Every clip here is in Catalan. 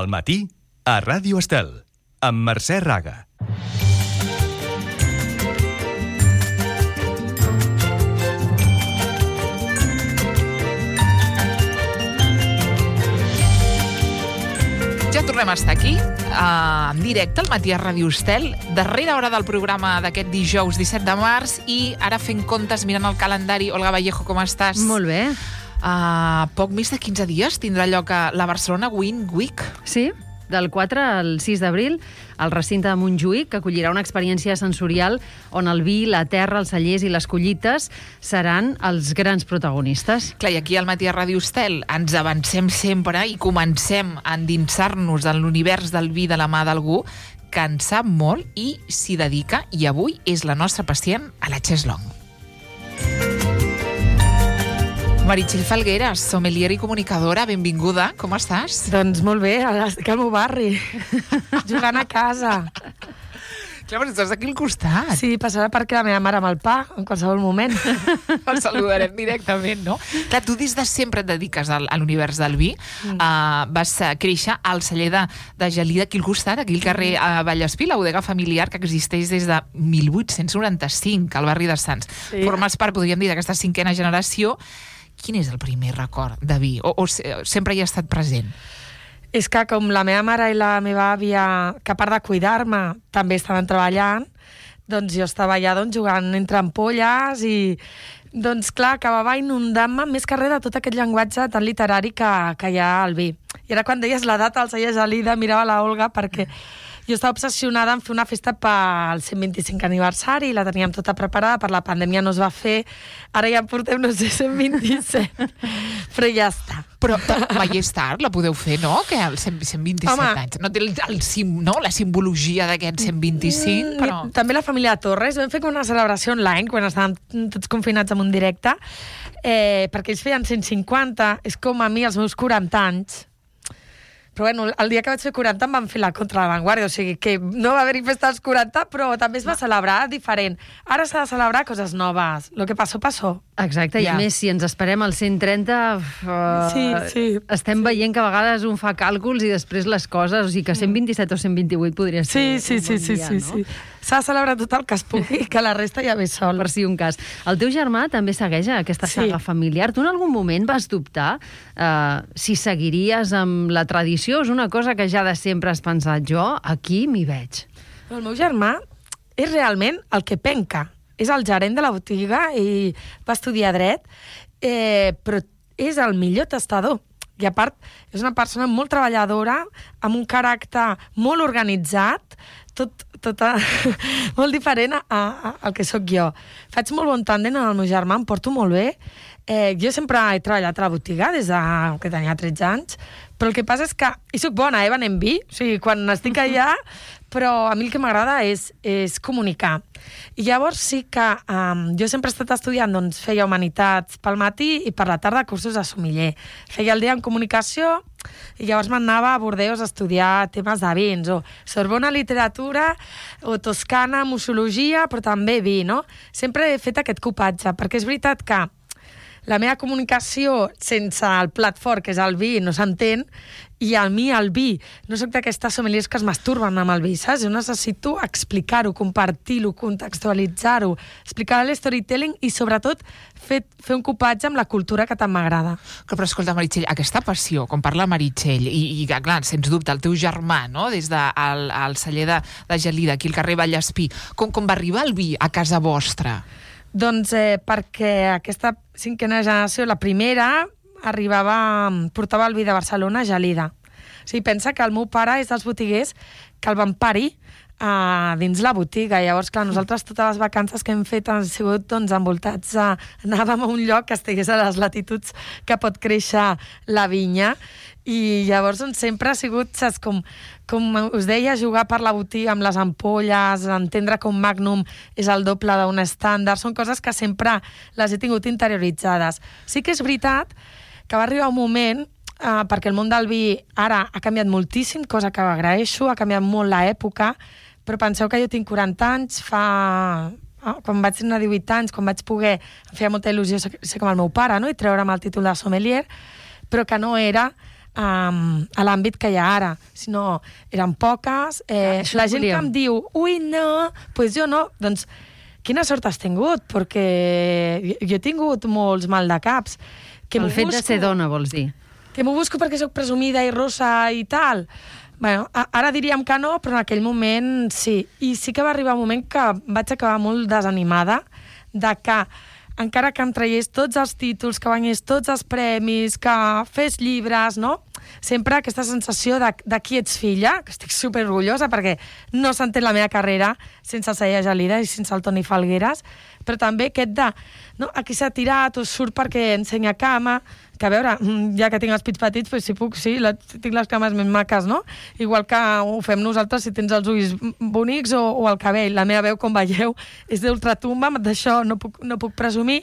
Al matí, a Ràdio Estel, amb Mercè Raga. Ja tornem a estar aquí, en directe, al matí a Ràdio Estel, darrera hora del programa d'aquest dijous 17 de març, i ara fent comptes, mirant el calendari. Olga Vallejo, com estàs? Molt bé. Poc més de 15 dies tindrà lloc a la Barcelona Wine Week. Sí, del 4 al 6 d'abril, al recinte de Montjuïc, que acollirà una experiència sensorial on el vi, la terra, els cellers i les collites seran els grans protagonistes. Clar, i aquí al matí a Ràdio Estel ens avancem sempre i comencem a endinsar-nos en l'univers del vi de la mà d'algú que en sap molt i s'hi dedica, i avui és la nostra pacient a la Cheslong. Meritxell Falgueras, sommelier i comunicadora, benvinguda. Com estàs? Doncs molt bé, estic al meu barri, jugant a casa. Clar, però estàs aquí al costat. Sí, passarà perquè la meva mare amb el pa, en qualsevol moment. El saludarem directament, no? Clar, tu des de sempre et dediques a l'univers del vi. Vas créixer al celler de Gelida, aquí al costat, aquí al carrer Vallespí, la bodega familiar que existeix des de 1895, al barri de Sants. Sí. Formes part, podríem dir, d'aquesta cinquena generació. Quin és el primer record de vi? O sempre hi ha estat present? És que com la meva mare i la meva àvia, que a part de cuidar-me, també estaven treballant, doncs jo estava allà jugant entre ampolles i, doncs clar, acabava inundant-me més que res de tot aquest llenguatge tan literari que hi ha al vi. I era quan deies la data al celler Gelida, mirava la Olga perquè jo estava obsessionada en fer una festa pel 125 aniversari, la teníem tota preparada, per la pandèmia no es va fer, ara ja en portem, no sé, 127, però ja està. Però mai és tard, la podeu fer, no? Que als 127 anys. No té la simbologia d'aquest 125, però... També la família Torres, vam fer una celebració online, quan estàvem tots confinats en un directe, perquè ells feien 150, és com a mi els meus 40 anys. Però bueno, el dia que vaig fer 40 em van fer la contra la Vanguardia, o sigui que no va haver-hi festa als 40, però també es va celebrar diferent. Ara s'ha de celebrar coses noves. Lo que passó, passó. Exacte, ja. I a més, si ens esperem al 130, sí. Estem veient que a vegades un fa càlculs i després les coses, o sigui que 127 o 128 podria ser Sí. S'ha de celebrar tot el que es pugui, que la resta ja ve sol. Per si un cas. El teu germà també segueix aquesta saga familiar. Tu en algun moment vas dubtar si seguiries amb la tradició? És una cosa que ja de sempre has pensat, jo aquí m'hi veig. El meu germà és realment el que penca. És el gerent de la botiga i va estudiar dret, però és el millor tastador. I a part, és una persona molt treballadora, amb un caràcter molt organitzat, tot molt diferent al que sóc jo. Faig molt bon tàndem amb el meu germà, em porto molt bé. Jo sempre he treballat a la botiga des que tenia 13 anys, però el que passa és que hi soc bona, venem vi, o sigui, quan estic allà, però a mi el que m'agrada és comunicar. I llavors sí que jo sempre he estat estudiant, doncs feia humanitats pel matí i per la tarda cursos de sommelier. Feia el dia en comunicació i llavors m'anava a Bordeus a estudiar temes de vins, o Sorbona literatura, o Toscana mussologia, però també vi, no? Sempre he fet aquest copatge, perquè és veritat que la meva comunicació sense el plat fort, que és el vi, no s'entén, i a mi el vi, no soc d'aquestes sommeliers que es masturben amb el vi, saps? Jo necessito explicar-ho, compartir-ho, contextualitzar-ho, explicar l'storytelling i sobretot fer un copatge amb la cultura que tant m'agrada. Però escolta, Meritxell, aquesta passió, com parla Meritxell, i clar, sens dubte, el teu germà, no?, des del celler de Gelida, aquí al carrer Vallespí, com va arribar el vi a casa vostra? Doncs perquè aquesta cinquena generació, la primera, portava el vi de Barcelona a Gelida. O sigui, pensa que el meu pare és dels botiguers que el van parir dins la botiga. Llavors, clar, nosaltres totes les vacances que hem fet han sigut envoltats anàvem a un lloc que estigués a les latituds que pot créixer la vinya, i llavors sempre ha sigut, saps, com us deia, jugar per la botiga amb les ampolles, entendre com Magnum és el doble d'un estàndard, són coses que sempre les he tingut interioritzades. Sí que és veritat que va arribar un moment, perquè el món del vi ara ha canviat moltíssim, cosa que agraeixo, ha canviat molt l'època, però penseu que jo tinc 40 anys, quan vaig tenir 18 anys, quan vaig poder, em feia molta il·lusió ser com el meu pare, no?, i treure'm el títol de sommelier, però que no era a l'àmbit que hi ha ara, sinó eren poques. La gent que em diu, ui, no, pues jo no, doncs quina sort has tingut, perquè jo he tingut molts mal de caps. El fet de ser dona, vols dir? Que m'ho busco perquè sóc presumida i rossa i tal. Bueno, ara diríem que no, però en aquell moment sí. I sí que va arribar un moment que vaig acabar molt desanimada de que encara que em traiés tots els títols, que guanyés tots els premis, que fes llibres, no? Sempre aquesta sensació de qui ets filla, que estic superorgullosa perquè no s'entén la meva carrera sense el Saia Gelida i sense el Toni Falgueras, però també aquest de, no, aquí s'ha tirat o surt perquè ensenya cama, que a veure, ja que tinc els pits petits, pues si puc, sí, tinc les cames més maques, no? Igual que ho fem nosaltres si tens els ulls bonics o el cabell. La meva veu, com veieu, és d'ultratumba, d'això no puc presumir,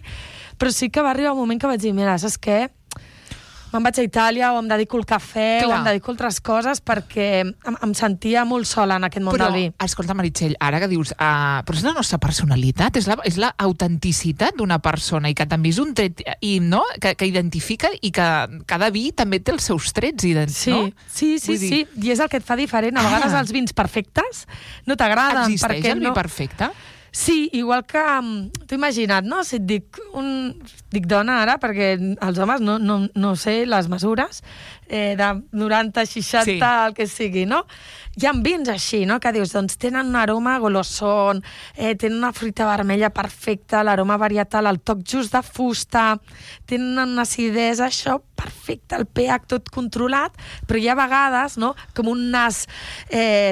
però sí que va arribar un moment que vaig dir, mira, saps què? Me'n vaig a Itàlia o em dedico al cafè o em dedico a altres coses perquè em sentia molt sola en aquest món del vi. Però, escolta, Meritxell, ara que dius, però és la nostra personalitat, és la autenticitat d'una persona i que també és un tret no? que identifica i que cada vi també té els seus trets. No? Sí, i és el que et fa diferent. A vegades els vins perfectes no t'agraden. Existeix el vi perfecte? Sí, igual que... T'ho imagina't, no? Si et dic dona ara, perquè els homes no sé les mesures, de 90, 60, el que sigui, no? Hi ha vins així, no? Que dius, doncs tenen un aroma golosón, tenen una fruita vermella perfecta, l'aroma varietal, el toc just de fusta, tenen una acidesa, això, perfecte, el pH tot controlat, però hi ha vegades, no?, com un nas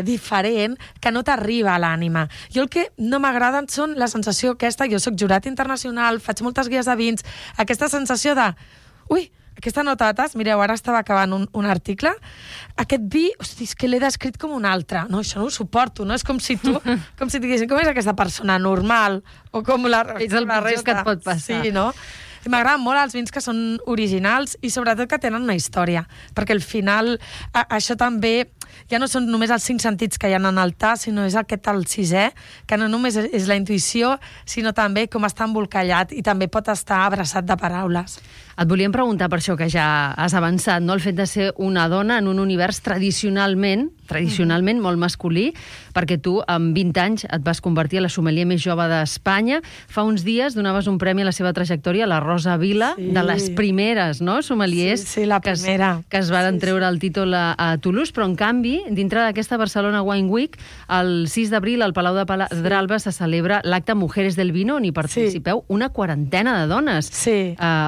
diferent que no t'arriba a l'ànima. Jo el que no m'agraden són la sensació aquesta, jo soc jurat internacional, faig moltes guies de vins, aquesta sensació de, ui, aquesta nota de tas, mireu, ara estava acabant un article, aquest vi, hosti, és que l'he descrit com un altre. No, això no ho suporto, no? És com si tu, com si diguessin, com és aquesta persona normal? O com la resta. És el pitjor que et pot passar. Sí, no? I m'agraden molt els vins que són originals i sobretot que tenen una història, perquè al final això també ja no són només els 5 sentits que hi ha en el tas, sinó és aquest el 6è, que no només és la intuïció, sinó també com està embolcallat i també pot estar abraçat de paraules. Et volíem preguntar per això que ja has avançat, no? El fet de ser una dona en un univers tradicionalment molt masculí, perquè tu amb 20 anys et vas convertir a la sommelier més jove d'Espanya. Fa uns dies donaves un premi a la seva trajectòria, la Rosa Vila, de les primeres, no?, sommeliers la primera. que es van treure el títol a Toulouse, però en canvi, dintre d'aquesta Barcelona Wine Week, el 6 d'abril al Palau de Pedralba se celebra l'acte Mujeres del Vino, on hi participeu una quarantena de dones,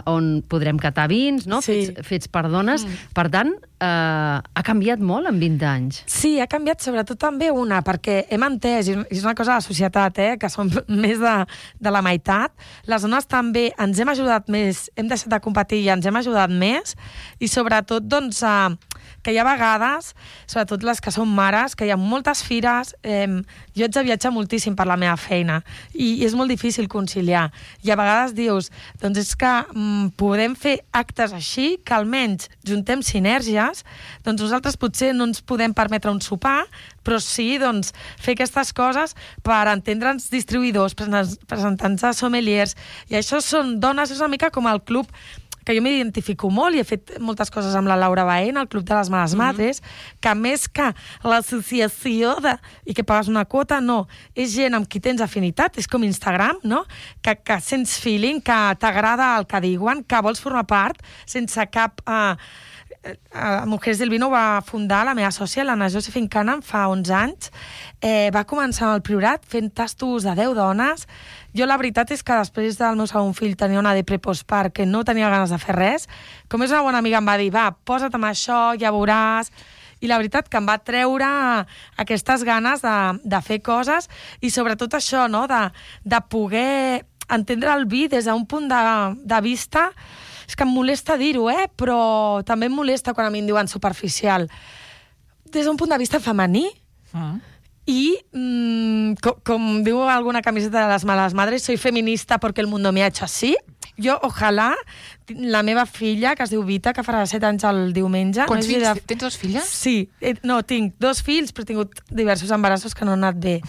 on podrem catar vins, no?, fets per dones. Per tant, ha canviat molt en 20 anys. Sí, ha canviat sobretot també perquè hem entès, i és una cosa de la societat, que som més de la meitat, les dones també ens hem ajudat més, hem deixat de competir i ens hem ajudat més, i sobretot, doncs, que hi ha vegades, sobretot les que són mares, que hi ha moltes fires, jo haig de viatjar moltíssim per la meva feina, i és molt difícil conciliar. I a vegades dius, doncs és que podem fer actes així, que almenys juntem sinergies, doncs nosaltres potser no ens podem permetre un sopar, però sí, doncs, fer aquestes coses per entendre'ns distribuïdors, presentants de sommeliers, i això són dones, és una mica com el club que jo m'identifico molt i he fet moltes coses amb la Laura Baena, el Club de les Males Madres, que més que l'associació i que pagues una quota, no, és gent amb qui tens afinitat, és com Instagram, no?, que sents feeling, que t'agrada el que diuen, que vols formar part sense cap... Mujeres del Vino va fundar la meva sòcia, l'Anna Josephine Canham, fa 11 anys. Va començar al Priorat fent tastos de 10 dones. Jo la veritat és que després del meu segon fill tenia una depre postpart que no tenia ganes de fer res. Com és una bona amiga em va dir, va, posa't amb això, ja veuràs. I la veritat que em va treure aquestes ganes de fer coses i sobretot això, no?, de poder entendre el vi des d'un punt de vista. És que em molesta dir-ho, però també em molesta quan a mi em diuen superficial. Des d'un punt de vista femení. I, com diu alguna camiseta de les Males Madres, soy feminista porque el mundo me ha hecho así. Jo, ojalà, la meva filla, que es diu Vita, que farà 7 anys el diumenge... Quants fills? Tens 2 filles? Sí. No, tinc 2 fills, però he tingut diversos embarassos que no han anat bé.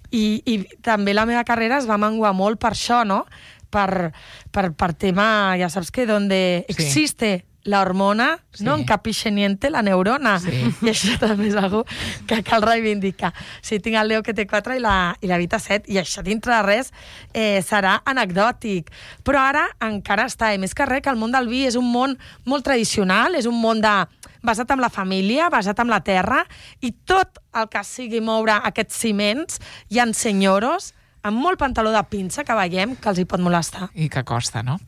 I també la meva carrera es va menguar molt per això, no?, per tema, ja saps que donde existe l'hormona no encapixe niente la neurona. I això també és algo que cal reivindicar. Sí, tinc el Leo que té 4 i la Vita 7, i això dintre de res serà anecdòtic. Però ara encara està. I més que res, que el món del vi és un món molt tradicional, és un món basat en la família, basat en la terra, i tot el que sigui moure aquests ciments, hi ha senyoros amb molt pantaló de pinça que veiem que els hi pot molestar. I que costa, no?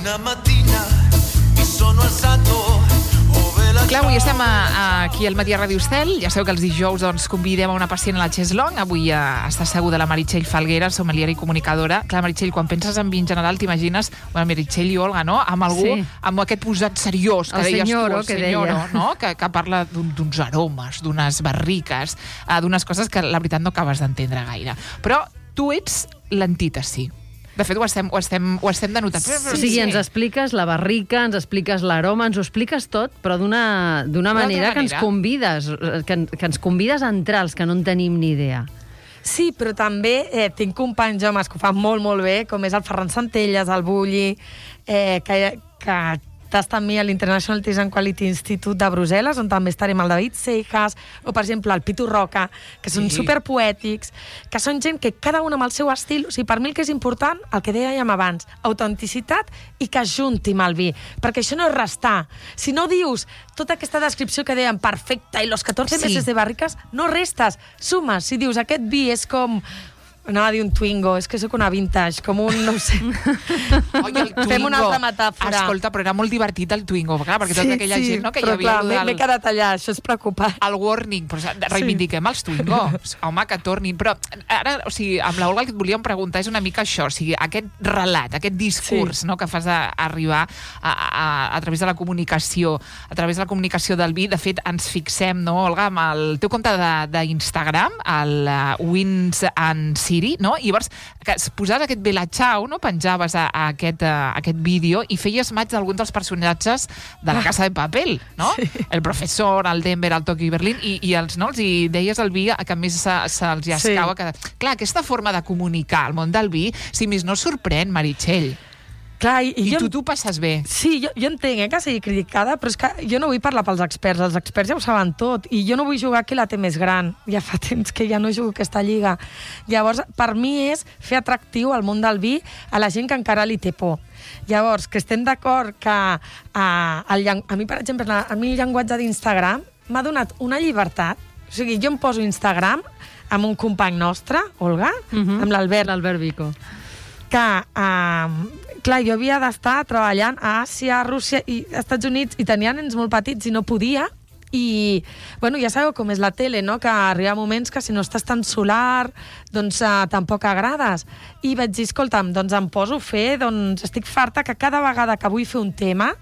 Una mattina mi sono alzato. Clar, avui estem aquí al Matí a Ràdio Estel. Ja sabeu que els dijous doncs, convidem a una pacient a la Cheslong. Avui està asseguda la Meritxell Falguera, sommelier i comunicadora. Clar, Meritxell, quan penses en vi en general, t'imagines, bueno, Meritxell i Olga, no? Amb algú, amb aquest posat seriós, que deies tu, el senyoro, no? Que parla d'uns aromes, d'unes barriques, d'unes coses que la veritat no acabes d'entendre gaire. Però tu ets l'antítesi. De fet, ho estem denotant. O sigui, ens expliques la barrica, ens expliques l'aroma, ens ho expliques tot, però d'una manera que ens convides, que ens convides a entrar, els que no en tenim ni idea. Sí, però també tinc companys homes que ho fan molt, molt bé, com és el Ferran Santelles, el Bulli, que està amb mi a l'International Taste and Quality Institute de Brussel·les, on també estarem el David Seijas, o, per exemple, el Pitu Roca, que són superpoètics, que són gent que cada un amb el seu estil. O sigui, per mi el que és important, el que dèiem abans, autenticitat i que es junti amb el vi, perquè això no és restar. Si no dius tota aquesta descripció que dèiem perfecta i los 14 meses de barriques, no restes, sumes. Si dius aquest vi és com... Anava a dir un Twingo, és que sóc una vintage, com un, no sé... Oi, el Twingo. Fem una altra metàfora. Escolta, però era molt divertit el Twingo, clar, perquè tota aquella gent, no, que hi havia... Però clar, m'he quedat allà, això és preocupant. El warning, però reivindiquem els Twingos. Home, que tornin. Però ara, o sigui, amb l'Olga el que et volíem preguntar és una mica això, o sigui, aquest relat, aquest discurs, no, que fas arribar a través de la comunicació, a través de la comunicació del vi. De fet, ens fixem, no, Olga, amb el teu compte d'Instagram, el Wins and Siri, no? I llavors, que posaves aquest Bella Ciao, no? Penjaves a aquest vídeo i feies maig d'alguns dels personatges de la Casa de Papel, no? Sí. El professor, el Denver, el Tokyo i Berlín, i els deies el vi que a més se'ls escau. Clar, aquesta forma de comunicar al món del vi, si més no sorprèn, Meritxell. Clar, I tu t'ho passes bé. Sí, jo entenc que sigui criticada, però és que jo no vull parlar pels experts. Els experts ja ho saben tot, i jo no vull jugar qui la té més gran. Ja fa temps que ja no jugo aquesta lliga. Llavors, per mi és fer atractiu al món del vi a la gent que encara li té por. Llavors, que estem d'acord que a mi, per exemple, a mi el llenguatge d'Instagram m'ha donat una llibertat. O sigui, jo em poso Instagram amb un company nostre, Olga, amb l'Albert Vico, que, clar, jo havia d'estar treballant a Àsia, a Rússia i als Estats Units, i tenia nens molt petits i no podia, i, bueno, ja sabeu com és la tele, no?, que arriba moments que si no estàs tan solar, doncs tampoc agrades. I vaig dir, escolta'm, doncs em poso a fer, doncs estic farta que cada vegada que vull fer un tema,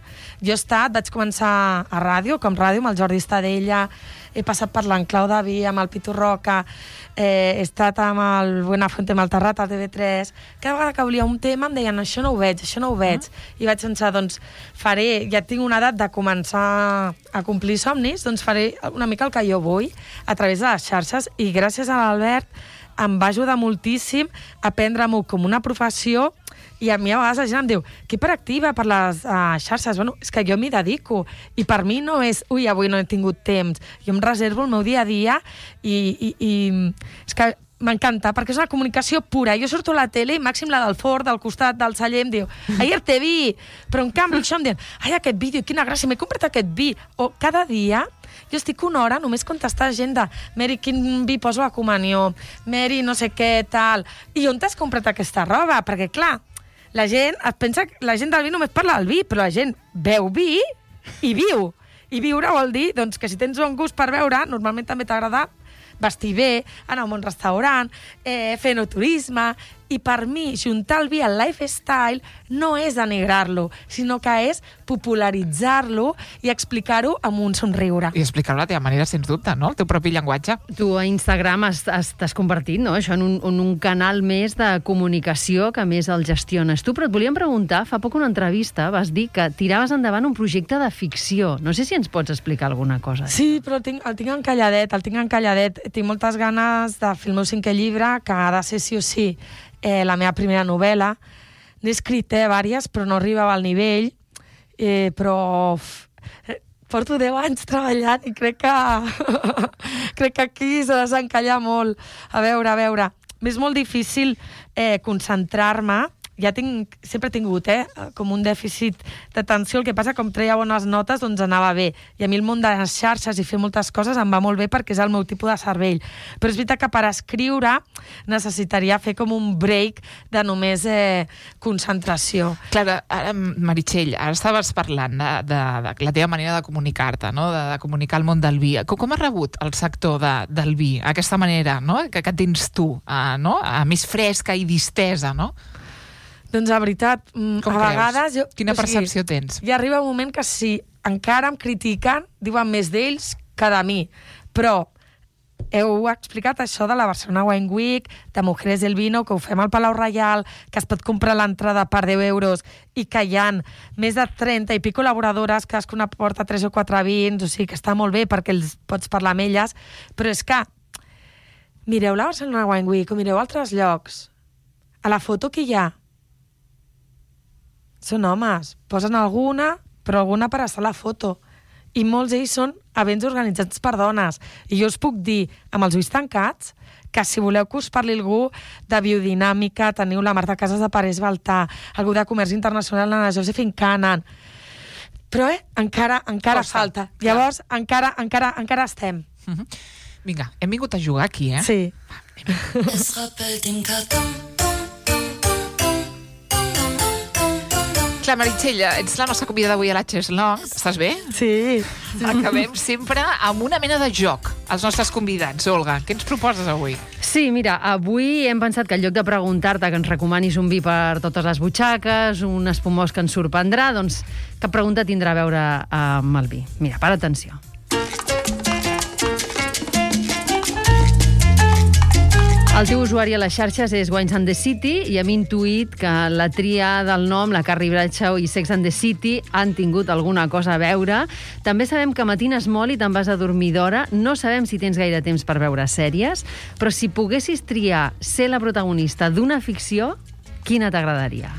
vaig començar a ràdio, com ràdio, amb el Jordi Estadella, he passat per l'Enclau de Vi, amb el Pitu Roca, he estat amb el Buenafuente, amb el Terrat, al TV3. Cada vegada que volia un tema em deien, això no ho veig. I vaig pensar, doncs ja tinc una edat de començar a complir somnis, doncs faré una mica el que jo vull a través de les xarxes, i gràcies a l'Albert em va ajudar moltíssim a prendre-m'ho com una professió. I a mi a vegades la gent em diu, que hiperactiva per les xarxes. Bueno, és que jo m'hi dedico. I per mi no és, avui no he tingut temps. Jo em reservo el meu dia a dia i és que m'encanta, perquè és una comunicació pura. Jo surto a la tele i màxim la del Ford, del costat del celler, em diu, ayer te vi, però en canvi això em diuen, ai, aquest vídeo, quina gràcia, m'he comprat aquest vi. O cada dia jo estic una hora només contestar a gent de Mary, quin vi poso a comunió, Mary, no sé què, tal. I on t'has comprat aquesta roba? Perquè, clar, la gent es pensa que la gent del vi només parla del vi, però la gent beu vi i viu. I viure vol dir, doncs, que si tens bon gust per beure, normalment també t'agrada vestir bé, anar a un bon restaurant, fer enoturisme. I per mi, juntar el vi al lifestyle no és denigrar-lo, sinó que és popularitzar-lo i explicar-ho amb un somriure. I explicar-ho a la teva manera, sens dubte, no? El teu propi llenguatge. Tu a Instagram t'has convertit, no?, això en un canal més de comunicació que més el gestiones tu. Però et volíem preguntar, fa poc una entrevista vas dir que tiraves endavant un projecte de ficció. No sé si ens pots explicar alguna cosa. Sí, però el tinc encalladet. Tinc moltes ganes de fer el meu 5è llibre, que ha de ser sí o sí la meva primera novel·la. n'he escrit diverses, però no arribava al nivell, però porto 10 anys treballant i crec que aquí s'ha de desencallar molt. A veure, m'és molt difícil concentrar-me. Sempre he tingut com un dèficit d'atenció, el que passa com treia bones notes doncs anava bé, i a mi el món de les xarxes i fer moltes coses em va molt bé perquè és el meu tipus de cervell, però és veritat que per escriure necessitaria fer com un break de només concentració. Clar, ara, Meritxell, ara estaves parlant de la teva manera de comunicar-te, no? de comunicar el món del vi. Com has rebut el sector del vi, aquesta manera, no? que tens tu, no? Més fresca i distesa, no? Doncs la veritat, com a vegades... Quina percepció tens? Ja arriba un moment que si encara em critiquen, diuen més d'ells que de mi. Però heu explicat això de la Barcelona Wine Week, de Mujeres del Vino, que ho fem al Palau Reial, que es pot comprar l'entrada per 10 euros i que hi ha més de 30 i pico col·laboradores, cadascuna porta 3 o 4 vins, o sigui que està molt bé perquè els pots parlar amb elles, però és que mireu la Barcelona Wine Week o mireu altres llocs. A la foto que hi ha són homes, posen alguna, però alguna per estar a la foto. I molts d'ells són events organitzats per dones. I jo us puc dir, amb els ulls tancats, que si voleu que us parli algú de biodinàmica, teniu la Marta Casas de Parés Baltà, algú de comerç internacional, l'Anna Josephine Cannon. Però encara falta. Llavors, encara estem. Vinga, hem vingut a jugar aquí, Sí. Es rappelt im Karton. Clar, Meritxell, ets la nostra convidada avui a la Cheslong. Estàs bé? Sí. Acabem sempre amb una mena de joc als nostres convidats. Olga, què ens proposes avui? Sí, mira, avui hem pensat que en lloc de preguntar-te que ens recomanis un vi per totes les butxaques, un espumós que ens sorprendrà, doncs cap pregunta tindrà a veure amb el vi. Mira, para atenció. El teu usuari a les xarxes és Wines and the City i hem intuït que la tria del nom, la Carrie Bradshaw i Sex and the City han tingut alguna cosa a veure. També sabem que matines molt i te'n vas a dormir d'hora. No sabem si tens gaire temps per veure sèries, però si poguessis triar ser la protagonista d'una ficció, quina t'agradaria?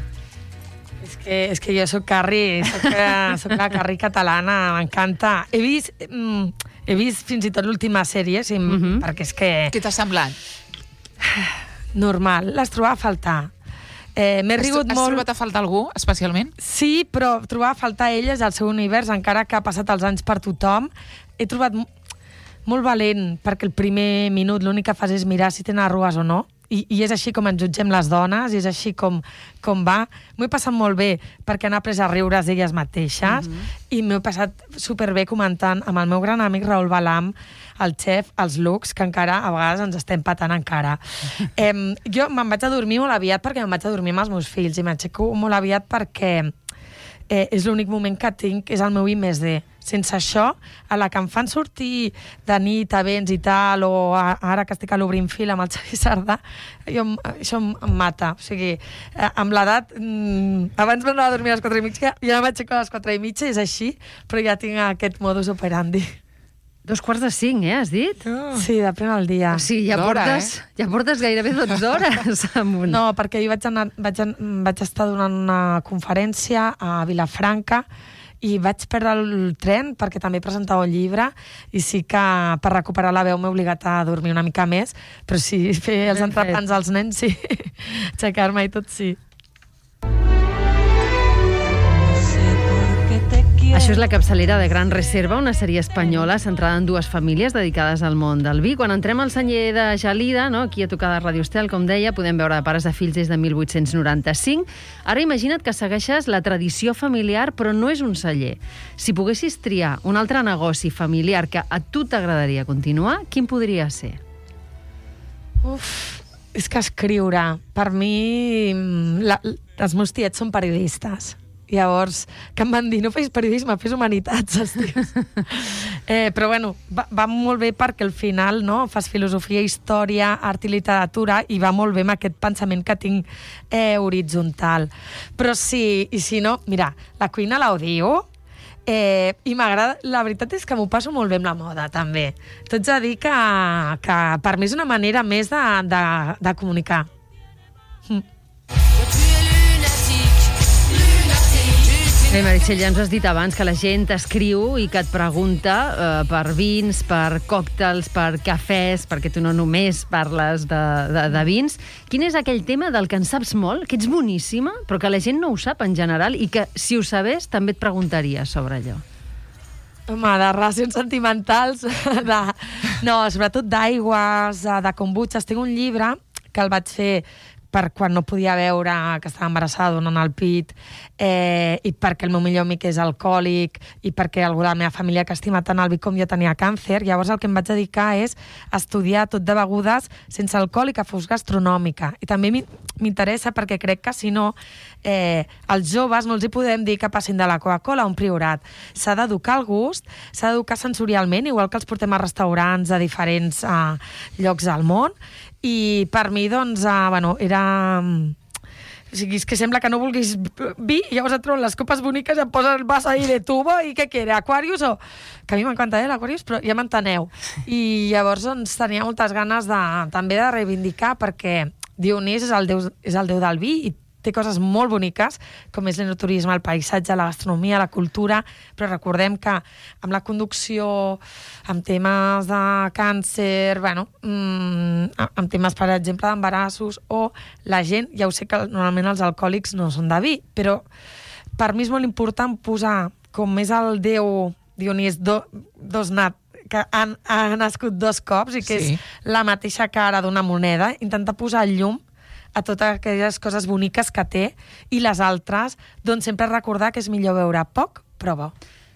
És que jo soc Carrie, soc la Carrie catalana, m'encanta. He vist fins i tot l'última sèrie, perquè és que... Què t'ha semblat? Normal, les trobava a faltar. M'he rigut molt... Has trobat a faltar algú, especialment? Sí, però trobava a faltar elles, el seu univers, encara que ha passat els anys per tothom. He trobat molt valent, perquè el primer minut l'únic que fas és mirar si tenen arrugues o no. I és així com ens jutgem les dones, i és així com va. M'ho he passat molt bé, perquè han après a riure's d'elles mateixes, i m'ho he passat superbé comentant amb el meu gran amic Raül Balam, el xef, els looks, que encara a vegades ens estem patant encara. Jo me'n vaig a dormir molt aviat perquè me'n vaig a dormir amb els meus fills, i m'aixeco molt aviat perquè és l'únic moment que tinc, és el meu I+D. Sense això, a la que em fan sortir de nit a events i tal, o ara que estic a l'Obrinfil amb el Xavi Sardà, això em mata. O sigui, amb l'edat, abans m'anava a dormir a les 4:30, ja m'aixeco a les 4:30, és així, però ja tinc aquest modus operandi. 4:45, has dit? Sí, depèn del dia. O sigui, ja portes gairebé 12 hores. No, perquè jo vaig estar donant una conferència a Vilafranca i vaig perdre el tren perquè també presentava un llibre, i sí que per recuperar la veu m'he obligat a dormir una mica més, però sí, fer els entrepans als nens, sí. Aixecar-me i tot, sí. Això és la capçalera de Gran Reserva, una sèrie espanyola centrada en dues famílies dedicades al món del vi. Quan entrem al celler de Gelida, no, aquí a tocar de Radio Estel, com deia, podem veure pares de fills des de 1895. Ara imagina't que segueixes la tradició familiar, però no és un celler. Si poguessis triar un altre negoci familiar que a tu t'agradaria continuar, quin podria ser? És que escriure. Per mi, els meus tiets són periodistes. Llavors, que em van dir, no fes periodisme, fes humanitats, els tios. Però bueno, va molt bé perquè al final, no, fas filosofia, història, art i literatura, i va molt bé amb aquest pensament que tinc horitzontal. Però sí, i si no, mira, la cuina l'odio, i m'agrada, la veritat és que m'ho passo molt bé amb la moda, també. T'haig de dir que per mi és una manera més de comunicar. Bé, Meritxell, ja ens has dit abans que la gent t'escriu i que et pregunta per vins, per còctels, per cafès, perquè tu no només parles de vins. Quin és aquell tema del que en saps molt, que ets boníssima, però que la gent no ho sap en general i que, si ho sabés, també et preguntaria sobre allò? Home, de relacions sentimentals, no, sobretot d'aigües, de kombuchas. Tinc un llibre que el vaig fer per quan no podia veure que estava embarassada donant el pit, i perquè el meu millor amic és alcohòlic i perquè algú de la meva família que estima tant el vi com jo tenia càncer. Llavors el que em vaig dedicar és estudiar tot de begudes sense alcohol i que fos gastronòmica. I també m'interessa perquè crec que si no, als joves no els hi podem dir que passin de la Coca-Cola a un Priorat. S'ha d'educar el gust, s'ha d'educar sensorialment, igual que els portem a restaurants a diferents llocs del món. I per mi, doncs, era... O sigui, és que sembla que no vulguis vi, i llavors et troben les copes boniques i em posen el vas ahí de tubo i què quiere, Aquarius o... Que a mi m'encanta l'Aquarius, però ja m'enteneu. I llavors, doncs, tenia moltes ganes també de reivindicar, perquè Dionís és el déu del vi i té coses molt boniques, com és l'enoturisme, el paisatge, la gastronomia, la cultura, però recordem que amb la conducció, amb temes de càncer, amb temes, per exemple, d'embarassos, o la gent, ja ho sé que normalment els alcohòlics no són de vi, però per mi és molt important posar, com és el déu Dionís que ha nascut 2 cops i que és la mateixa cara d'una moneda, intentar posar llum a totes aquelles coses boniques que té, i les altres, doncs sempre recordar que és millor beure poc, però bo.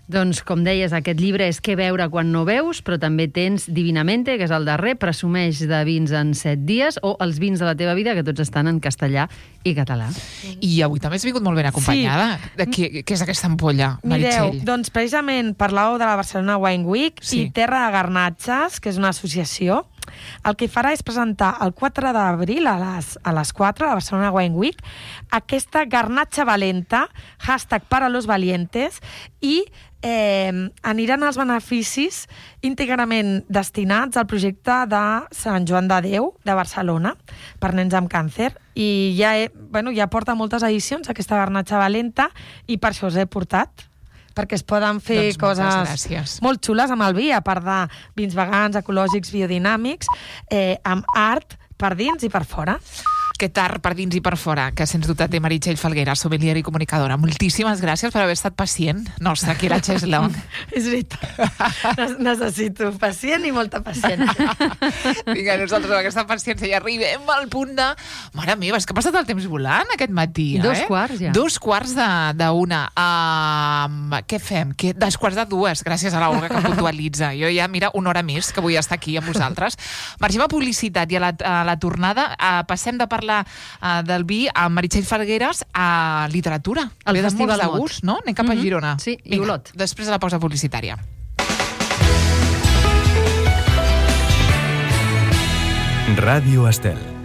Doncs, com deies, aquest llibre és Què beure quan no veus, però també tens Divinamente, que és el darrer, presumeix de vins en 7 dies, o Els vins de la teva vida, que tots estan en castellà i català. I avui també has vingut molt ben acompanyada. Sí. Què és aquesta ampolla, Meritxell? Mireu, doncs precisament parlàveu de la Barcelona Wine Week i Terra de Garnatges, que és una associació. El que farà és presentar el 4 d'abril a les 4, a la Barcelona Wine Week, aquesta garnatxa valenta, #paralos_valientes, i aniran els beneficis íntegrament destinats al projecte de Sant Joan de Déu de Barcelona per nens amb càncer, i ja porta moltes edicions aquesta garnatxa valenta, i per això us he portat, perquè es poden fer coses molt xules amb el vi, a part de vins vegans, ecològics, biodinàmics, amb art per dins i per fora. Aquest art per dins i per fora, que sens dubte té Meritxell Falguera, sommelier i comunicadora. Moltíssimes gràcies per haver estat pacient nostra aquí a la Cheslong. És veritat. Necessito pacient i molta paciència. Vinga, nosaltres amb aquesta paciència ja arribem al punt de... Mare meva, és que ha passat el temps volant aquest matí, 2:15 ja. 2:15. Què fem? 2:15, gràcies a l'Olga que puntualitza. Jo ja, mira, 1 hora més que vull estar aquí amb vosaltres. Marxem a publicitat i a la tornada passem de parlar del vi amb Meritxell Falgueres a literatura. El Festival de gust, no? Anem cap a Girona. Sí, i Olot. Després de la pausa publicitària. Ràdio Estel.